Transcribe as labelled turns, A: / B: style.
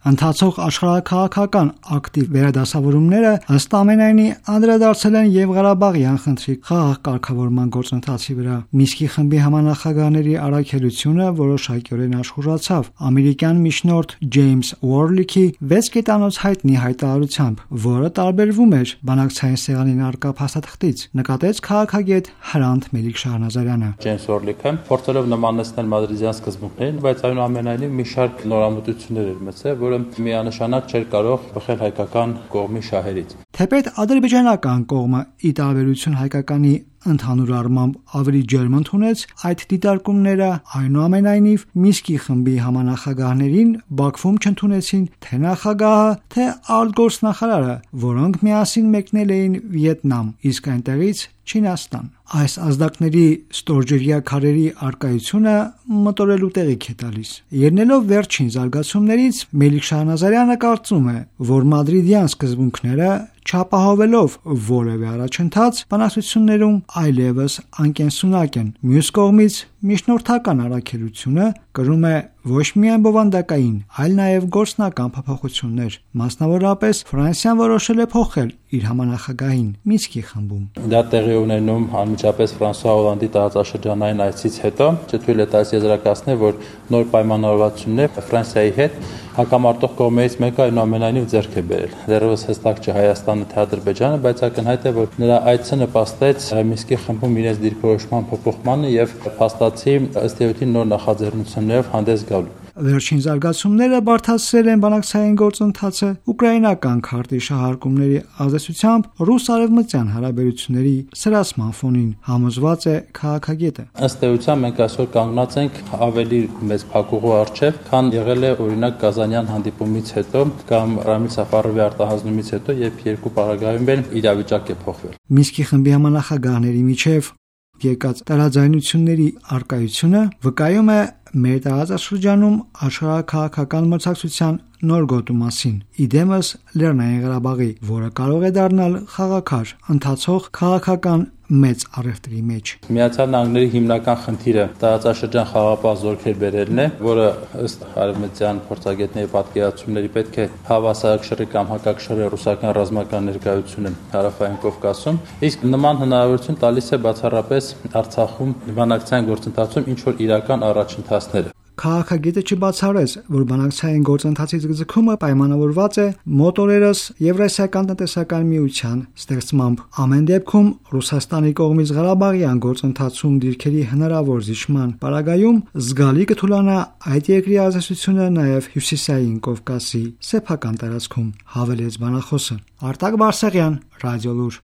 A: Ընթացող աշխարհաքաղաքական ակտիվ վերադասավորումները ըստ ամենայնի անդրադարձել են եւ Ղարաբաղյան խնդրի խաղաղ կարգավորման գործընթացի վրա։ Մինսկի խմբի համանախագահների առաքելությունը որոշակիորեն աշխուժացավ ամերիկյան միջնորդ Ջեյմս Ուորլիքի 6 կետանոց հայտնի հայտարարությամբ, որը տարբերվում էր բանակցային սեղանին առկա փաստաթղթից, նկատեց քաղաքագետ Հրանտ Մելիք-Շահնազարյանը։
B: Ջեյմս Ուորլիքը փորձելով նմանեցնել մադրիդյան սկզբունքներին, բայց այնուամենայնիվ մի շարք նորամուծություններ էր մտցել, որը միանշանակ չէր կարող բխել հայկական կողմի շահերից։
A: Թեպետ ադրբեջանական կողմը ի տարբերություն հայկականի ընդհանուր առմամբ ավելի ջերմ ընդունեց այդ դիտարկումները, այնուամենայնիվ Մինսկի խմբի համանախագահներին Բաքվում չընդունեցին թե նախագահը, թե արտգործնախարարը, որոնք միասին մեկնել էին Վիետնամ, իսկ այնտեղից Չինաստան։ Այս ազդակների ստորջրյա քարերի արկայությունը մտորելու տեղիք է տալիս։ Ելնելով վերջին զարգացումներից, Մելիք-Շահնազարյանը կարծում է, որ մադրիդյան սկզբունքները չապահովելով որևէ առաջընթաց բանակցություններում այլևս անկենսունակ են։ Մյուս կողմից միջնորդական առաքելությունը կրում է ոչ միայն բովանդակային, այլ նաև գործնական փոփոխություններ։ Մասնավորապես Ֆրանսիան որոշել է փոխել իր համանախագահին Մինսկի խմբում։
B: Դա տեղի ունենում անմիջապես Ֆրանսուա Հոլանդի տարածաշրջանային այցից հետո, չթույլ է տալիս եզրակացնել, որ նոր պայմանավորվածություններ Ֆրանսիայի հետ հակամարտող կողմերից մեկը այնուամենայնիվ ձեռք է բերել։ Դեռևս հստակ չէ Հայաստանը թե Ադրբեջանը, բայց ակնհայտ է, որ նրա այցը նպաստեց Մինսկի խմբում իրենց դիրքորոշման փոփոխմանը եւ փաստացի ըստ էության նոր նախաձեռնություններով հանդես գալու։
A: Վերջին զարգացումները բարդացրել են բանակցային գործընթացը ուկրաինական քարտի շահարկումների ազդեցությամբ ռուս-արևմտյան հարաբերությունների սրացման ֆոնին, համոզված է քաղաքագետը։
B: Ըստ էության մենք այսօր կանգնած ենք ավելի մեծ փակուղու առջև, քան եղել է օրինակ Կազանյան հանդիպումից հետո կամ Ռամիլ Սաֆարովի արտահանումից հետո, երբ երկու պարագայում են իրավիճակ է փոխվել։
A: Մինսկի խմբի համանախագահների միջև եկած տարաձայնությունների արկայությունը վկայում է մեր տարածաշրջանում աշխարհաքաղաքական մրցակցության նոր գոտու մասին, իդեմս Լեռնային Ղարաբաղի, որը կարող է դառնալ խաղաքար ընթացող քաղաքական մեծ առևտրի մեջ։
B: Միացյալ Նահանգների հիմնական խնդիրը տարածաշրջան խաղաղապահ զորքեր բերելն է, որը ըստ արևմտյան փորձագետների պատկերացումների պետք է հավասարակշռի կամ հակակշռի ռուսական ռազմական ներկայությունը հարավային Կովկասում, իսկ նման հնարավորություն տալիս է բացառապես Արցախում բանակցային գործընթացում ինչ որ իրական առաջընթացները։
A: Քաղաքագետը չբացառեց, որ բանակցային գործընթացի ձգձգումը պայմանավորված է մոտորերս Եվրասիական տնտեսական միության ստեղծմամբ։ Ամեն դեպքում Ռուսաստանի կողմից Ղարաբաղյան գործընթացում դիրքերի հնարավոր զիջման պարագայում զգալի կթուլանա այդ երկրի ազդեցությունը նաև Հյուսիսային Կովկասի սեփական տարածքում, հավելեց բանախոսը։ Արտակ Բարսեղյան, Ռադիոլուր։